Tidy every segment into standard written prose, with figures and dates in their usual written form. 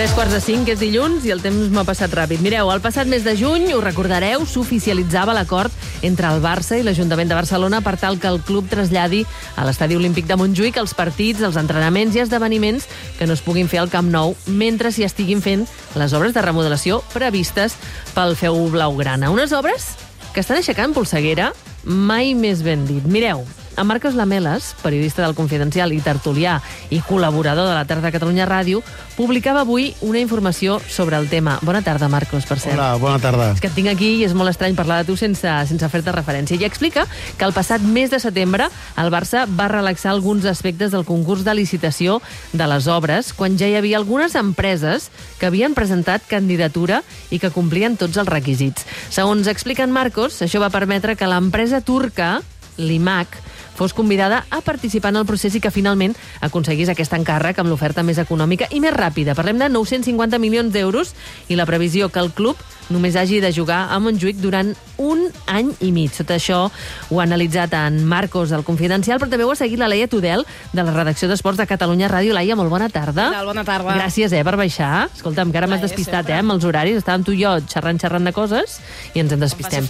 3:45, és dilluns i el temps m'ha passat ràpid. Mireu, el passat mes de juny, ho recordareu, s'oficialitzava l'acord entre el Barça i l'Ajuntament de Barcelona per tal que el club traslladi a l'Estadi Olímpic de Montjuïc els partits, els entrenaments i esdeveniments que no es puguin fer al Camp Nou mentre s'hi estiguin fent les obres de remodelació previstes pel feu blaugrana. Unes obres que estan aixecant polseguera, mai més ben dit. Mireu, en Marcos Lamelas, periodista del Confidencial i tertulià i col·laborador de la Tarda Catalunya Ràdio, publicava avui una informació sobre el tema. Bona tarda, Marcos, per cert. Hola, bona tarda. És que et tinc aquí i és molt estrany parlar de tu sense fer-te referència. I explica que el passat mes de setembre el Barça va relaxar alguns aspectes del concurs de licitació de les obres quan ja hi havia algunes empreses que havien presentat candidatura i que complien tots els requisits. Segons explica en Marcos, això va permetre que l'empresa turca, l'IMAC, fos convidada a participar en el procés i que finalment aconseguís aquest encàrrec amb l'oferta més econòmica i més ràpida. Parlem de 950 milions d'euros i la previsió que el club només hagi de jugar a Montjuïc durant un any i mig. Tot això ho ha analitzat en Marcos, del Confidencial, però també ho ha seguit la Laia Tudel, de la redacció d'Esports de Catalunya Ràdio. Laia, molt bona tarda. Bona tarda. Gràcies, per baixar. Escolta'm, que ara m'has despistat, amb els horaris. Estàvem tu i jo xerrant de coses i ens en despistem.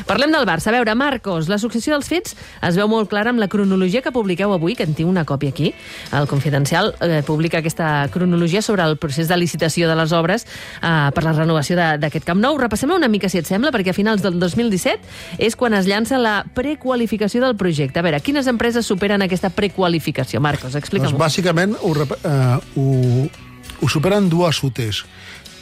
Parlem del Barça. A veure, Marcos, la successió dels fets es veu molt clara amb la cronologia que publiqueu avui, que en tinc una còpia aquí. El Confidencial publica aquesta cronologia sobre el procés de licitació de les obres per la renovació d'aquest Camp Nou. Repassem una mica, si et sembla, perquè a finals del 2017 és quan es llança la prequalificació del projecte. A veure, quines empreses superen aquesta prequalificació? Marcos, explica'm. Doncs bàsicament ho superen dues UTEs.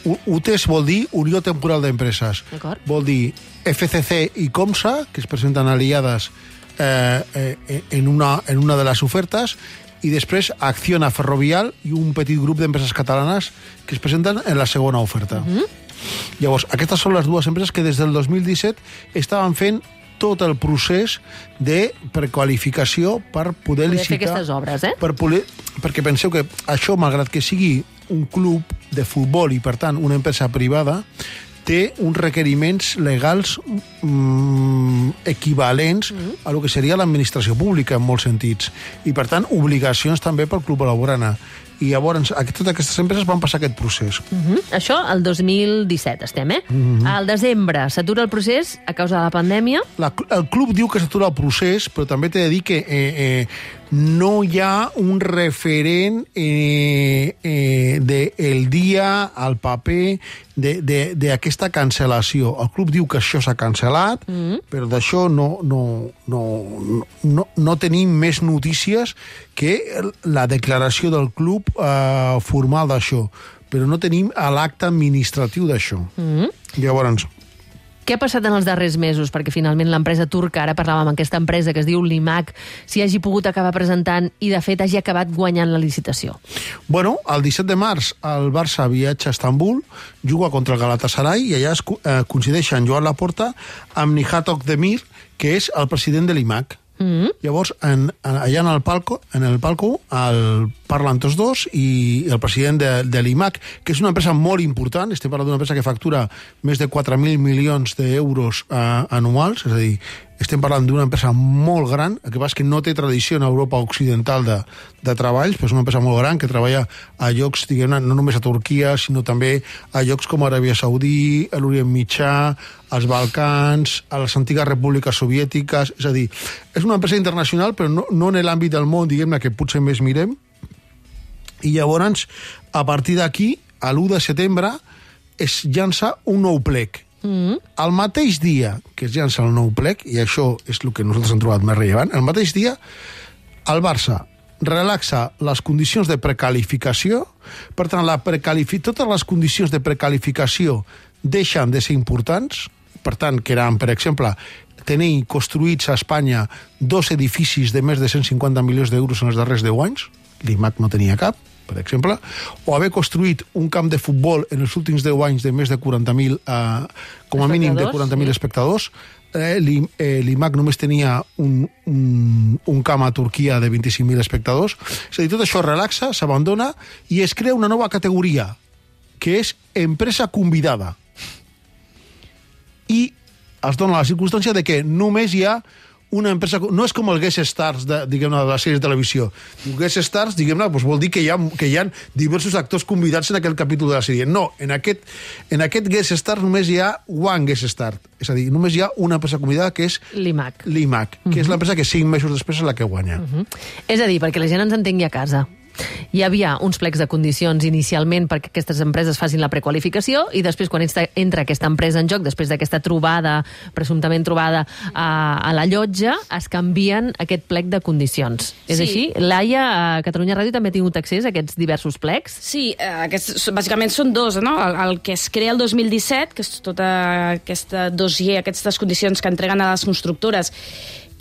UTEs vol dir Unió Temporal d'Empreses. Vol dir FCC i Comsa, que es presenten aliades en una de les ofertes, i després Acciona Ferrovial i un petit grup d'empreses catalanes que es presenten en la segona oferta. Llavors, aquestes són les dues empreses que des del 2017 estaven fent tot el procés de prequalificació per poder licitar... fer aquestes obres, perquè penseu que això, malgrat que sigui un club de futbol i, per tant, una empresa privada, té uns requeriments legals equivalents a lo que seria l'administració pública en molts sentits. I, per tant, obligacions també pel club blaugrana. I llavors totes aquestes empreses van passar aquest procés. Això el 2017 estem, Al desembre s'atura el procés a causa de la pandèmia. El club diu que s'atura el procés, però també t'he de dir que no hi ha un referent del dia, al paper, d'aquesta cancel·lació. El club diu que això s'ha cancel·lat, però d'això no tenim més notícies que la declaració del club formal d'això, però no tenim l'acte administratiu d'això. Llavors, què ha passat en els darrers mesos perquè finalment l'empresa turca, ara parlàvem amb aquesta empresa que es diu l'IMAC, s'hi hagi pogut acabar presentant i, de fet, hagi acabat guanyant la licitació? Bueno, el 17 de març el Barça viatja a Istanbul, juga contra el Galatasaray i allà es coincideixen Joan Laporta amb Nihat Özdemir, que és el president de l'IMAC. Llavors, allà en el palco parlen tots dos i el president de l'IMAC, que és una empresa molt important, estem parlant d'una empresa que factura més de 4.000 milions d'euros anuals, és a dir, estem parlant d'una empresa molt gran, el que passa és que no té tradició en Europa occidental de treballs, però és una empresa molt gran que treballa a llocs, diguem-ne, no només a Turquia, sinó també a llocs com Aràbia Saudí, a l'Orient Mitjà, als Balcans, a les antigues repúbliques soviètiques, és a dir, és una empresa internacional, però no en l'àmbit del món, diguem-ne, que potser més mirem, i llavors, a partir d'aquí, a l'1 de setembre, es llança un nou plec. El mateix dia que es llança el nou plec, i això és el que nosaltres hem trobat més rellevant, el mateix dia el Barça relaxa les condicions de precalificació, per tant, totes les condicions de precalificació deixen de ser importants, per tant, que eren, per exemple, tenir construïts a Espanya 2 edificis de més de 150 milions d'euros en els darrers 10 anys, l'IMAC no tenia cap, per exemple, o haver construït un camp de futbol en els últims 10 anys de més de 40.000, com a mínim de 40.000 espectadors. L'IMAC només tenia un camp a Turquia de 25.000 espectadors. És a dir, tot això relaxa, s'abandona i es crea una nova categoria, que és empresa convidada. I es dona la circumstància de que només hi ha una empresa... No és com el guest stars de la sèrie de televisió. Guest stars, diguem-ne, doncs vol dir que hi ha diversos actors convidats en aquell capítol de la sèrie. No, en aquest guest star només hi ha one guest star. És a dir, només hi ha una empresa convidada, que és l'IMAG, que és l'empresa que 5 mesos després és la que guanya. És a dir, perquè la gent ens entengui a casa. Hi havia uns plecs de condicions inicialment perquè aquestes empreses facin la prequalificació i després, quan entra aquesta empresa en joc, després d'aquesta trobada, presumptament trobada a la llotja, es canvien aquest plec de condicions. És així? Laia, a Catalunya Ràdio també ha tingut accés a aquests diversos plecs? Sí, bàsicament són dos, no? El que es crea el 2017, que és tota aquesta dossier, aquestes condicions que entreguen a les constructores,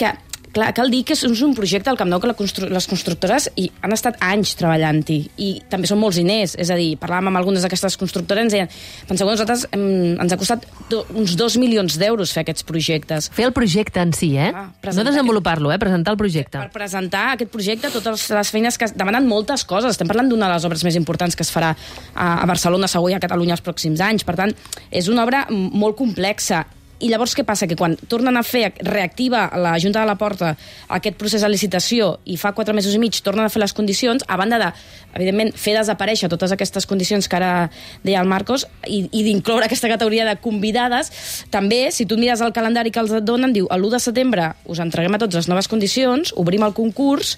que... Clar, cal dir que és un projecte al Camp Nou que les constructores han estat anys treballant-hi i també són molts diners, és a dir, parlàvem amb algunes d'aquestes constructores i ens deien, penseu que nosaltres ens ha costat uns 2 milions d'euros fer aquests projectes. Fer el projecte en si, no desenvolupar-lo, presentar el projecte. Per presentar aquest projecte, totes les feines que demanen moltes coses. Estem parlant d'una de les obres més importants que es farà a Barcelona, segur, i a Catalunya els pròxims anys. Per tant, és una obra molt complexa. I llavors què passa? Que quan tornen a fer, reactiva la Junta de la Porta aquest procés de licitació i fa 4 mesos i mig tornen a fer les condicions, a banda de, evidentment, fer desaparèixer totes aquestes condicions que ara deia el Marcos i d'incloure aquesta categoria de convidades, també, si tu mires el calendari que els et donen, diu, l'1 de setembre us entreguem a tots les noves condicions, obrim el concurs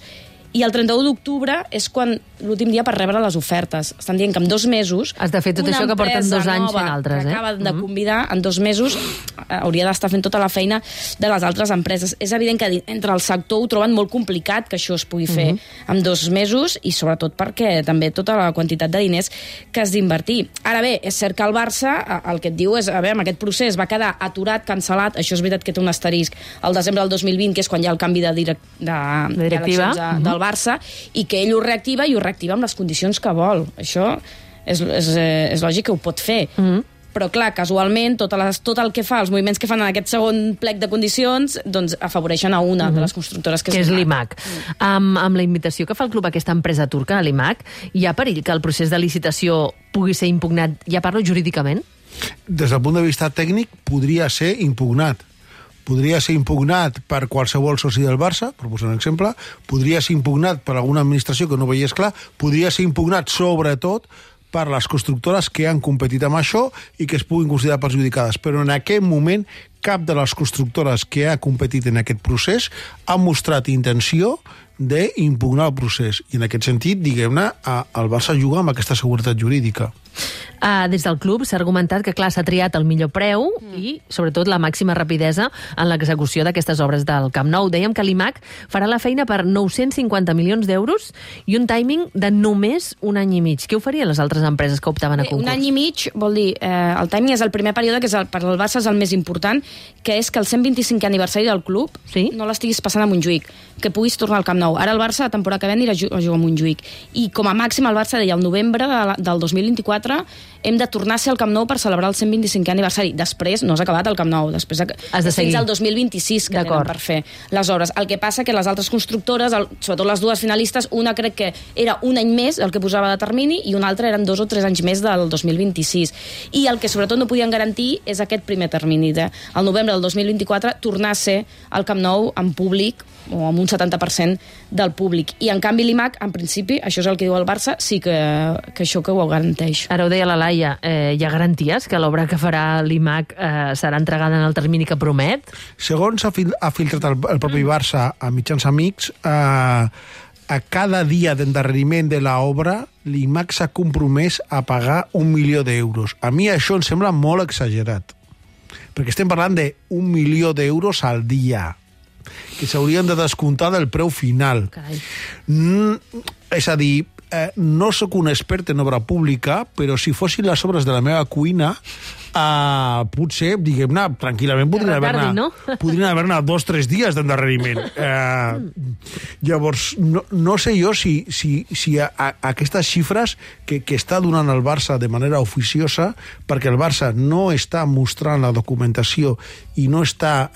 i el 31 d'octubre és quan l'últim dia per rebre les ofertes. Estan dient que en 2 mesos... Has de fer tot això que porten 2 anys fent altres, que acaben de convidar, en 2 mesos hauria d'estar fent tota la feina de les altres empreses. És evident que entre el sector ho troben molt complicat que això es pugui fer en 2 mesos i sobretot perquè també tota la quantitat de diners que has d'invertir. Ara bé, és cert que el Barça, el que et diu és, a veure, aquest procés va quedar aturat, cancel·lat, això és veritat que té un asterisc al desembre del 2020, que és quan hi ha el canvi de directiva del Barça, i que ell ho reactiva i ho reactiva amb les condicions que vol. Això és lògic que ho pot fer. Però, clar, casualment, tot el que fa, els moviments que fan en aquest segon plec de condicions, doncs afavoreixen a una de les constructores que és l'IMAG. Amb la invitació que fa el club a aquesta empresa turca, a l'IMAG, hi ha perill que el procés de licitació pugui ser impugnat, ja parlo jurídicament? Des del punt de vista tècnic, podria ser impugnat. Podria ser impugnat per qualsevol soci del Barça, per posar un exemple, podria ser impugnat per alguna administració que no veiés clar, podria ser impugnat sobretot per les constructores que han competit amb això i que es puguin considerar perjudicades. Però en aquest moment cap de les constructores que ha competit en aquest procés ha mostrat intenció d'impugnar el procés. I en aquest sentit, diguem-ne, el Barça juga amb aquesta seguretat jurídica. Des del club s'ha argumentat que, clar, s'ha triat el millor preu i, sobretot, la màxima rapidesa en l'execució d'aquestes obres del Camp Nou. Dèiem que l'IMAG farà la feina per 950 milions d'euros i un timing de només 1 any i mig. Què oferien les altres empreses que optaven a concurs? 1 any i mig vol dir, el timing és el primer període, que és per al Barça és el més important, que és que el 125è aniversari del club no l'estiguis passant a Montjuïc, que puguis tornar al Camp Nou. Ara el Barça, la temporada que ve, anirà a jugar a Montjuïc. I com a màxim el Barça deia, el novembre del 2024 hem de tornar a ser al Camp Nou per celebrar el 125è aniversari. Després no s'ha acabat el Camp Nou, després fins al 2026 que tenen per fer les obres. El que passa que les altres constructores, sobretot les dues finalistes, una crec que era 1 any més el que posava de termini i una altra eren 2 o 3 anys més del 2026. I el que sobretot no podien garantir és aquest primer termini el novembre del 2024 tornar a ser al Camp Nou en públic o amb un 70% del públic. I en canvi l'IMAG, en principi, això és el que diu el Barça, sí que això que ho garanteix. Ara ho deia la Laia, hi ha garanties que l'obra que farà l'IMAG serà entregada en el termini que promet? Segons ha filtrat el propi Barça a mitjans amics, a cada dia d'endarreriment de l'obra l'IMAG s'ha compromès a pagar 1 milió d'euros. A mi això em sembla molt exagerat, perquè estem parlant d'1 milió d'euros al dia que s'haurien de descomptar del preu final. És a dir, no sóc un expert en obra pública, però si fossin les obres de la meva cuina, potser, diguem-ne, tranquil·lament podrien haver-ne 2 o 3 dies d'endarreriment. Llavors, no sé jo si aquestes xifres que està donant el Barça de manera oficiosa, perquè el Barça no està mostrant la documentació i no està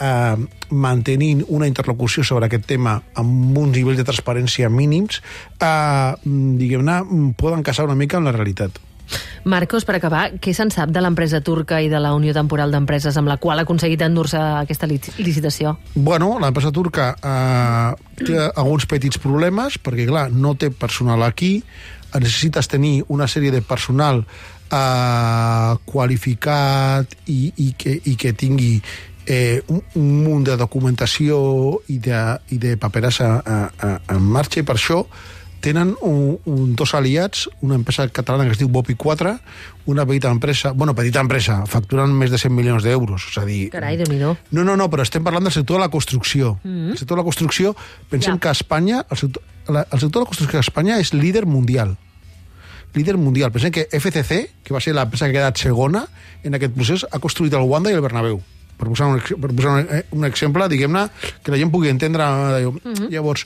mantenint una interlocució sobre aquest tema amb un nivell de transparència mínims, diguem-ne, poden casar una mica amb la realitat. Marcos, per acabar, què se'n sap de l'empresa turca i de la Unió Temporal d'Empreses amb la qual ha aconseguit endur-se aquesta licitació? Bueno, l'empresa turca té alguns petits problemes, perquè, clar, no té personal aquí, necessites tenir una sèrie de personal qualificat i que tingui un munt de documentació i de paperassa en marxa, i per això tenen dos aliats, una empresa catalana que es diu Bopi 4, una petita empresa, facturen més de 100 milions d'euros. És a dir... Carai, Déu-n'hi-do. No, però estem parlant del sector de la construcció. El sector de la construcció, pensem que a Espanya, el sector de la construcció a Espanya és líder mundial. Líder mundial. Pensem que FCC, que va ser l'empresa que ha quedat segona en aquest procés, ha construït el Wanda i el Bernabéu. Per posar un exemple, diguem-ne, que la gent pugui entendre. Llavors,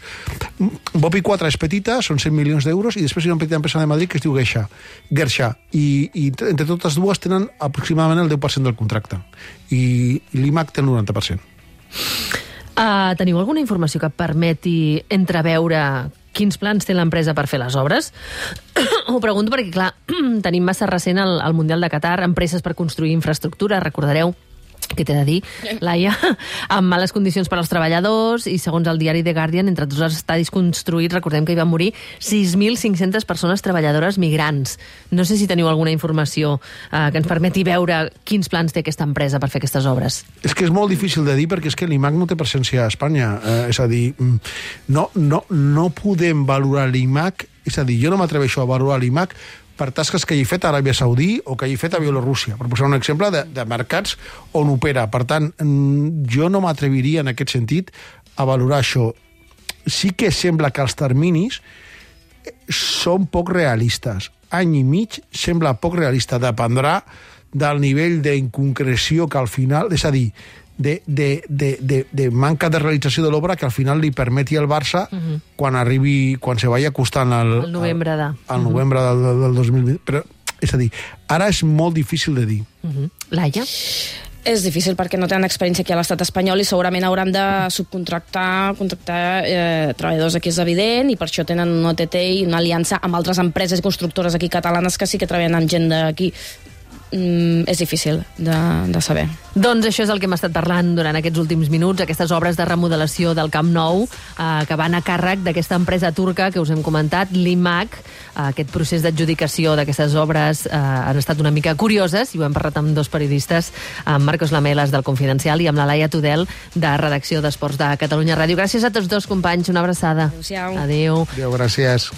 Bopi 4 és petita, són 100 milions d'euros, i després hi ha una petita empresa de Madrid que es diu Gersha, i entre totes dues tenen aproximadament el 10% del contracte, i l'IMAC té el 90%. Teniu alguna informació que permeti entreveure quins plans té l'empresa per fer les obres? Ho pregunto perquè, clar, tenim massa recent el Mundial de Qatar, empreses per construir infraestructura, recordareu, què t'he de dir, Laia, amb males condicions per als treballadors, i segons el diari The Guardian, entre tots els estadis construïts, recordem que hi van morir 6.500 persones treballadores migrants. No sé si teniu alguna informació que ens permeti veure quins plans té aquesta empresa per fer aquestes obres. És que és molt difícil de dir, perquè és que l'IMAC no té presència a Espanya. És a dir, no podem valorar l'IMAC, és a dir, jo no m'atreveixo a valorar l'IMAC per tasques que hagi fet a Aràbia Saudí o que hagi fet a Bielorússia, per posar un exemple de mercats on opera. Per tant, jo no m'atreviria en aquest sentit a valorar això. Sí que sembla que els terminis són poc realistes. Any i mig sembla poc realista. Dependrà del nivell d'inconcreció que al final... És a dir, de manca de realització de l'obra que al final li permeti al Barça quan se vagi acostant al novembre del 2020. Però, és a dir, ara és molt difícil de dir. Laia? És difícil perquè no tenen experiència aquí a l'estat espanyol i segurament hauran de contractar treballadors aquí, és evident, i per això tenen un OTT i una aliança amb altres empreses i constructores aquí catalanes que sí que treballen amb gent d'aquí. És difícil de saber. Doncs això és el que hem estat parlant durant aquests últims minuts, aquestes obres de remodelació del Camp Nou que van a càrrec d'aquesta empresa turca que us hem comentat, l'IMAC. Aquest procés d'adjudicació d'aquestes obres han estat una mica curioses, i ho hem parlat amb dos periodistes, amb Marcos Lamelas del Confidencial i amb la Laia Tudel de Redacció d'Esports de Catalunya Ràdio. Gràcies a tots dos, companys, una abraçada. Adéu-siau. Adéu. Adéu, gràcies.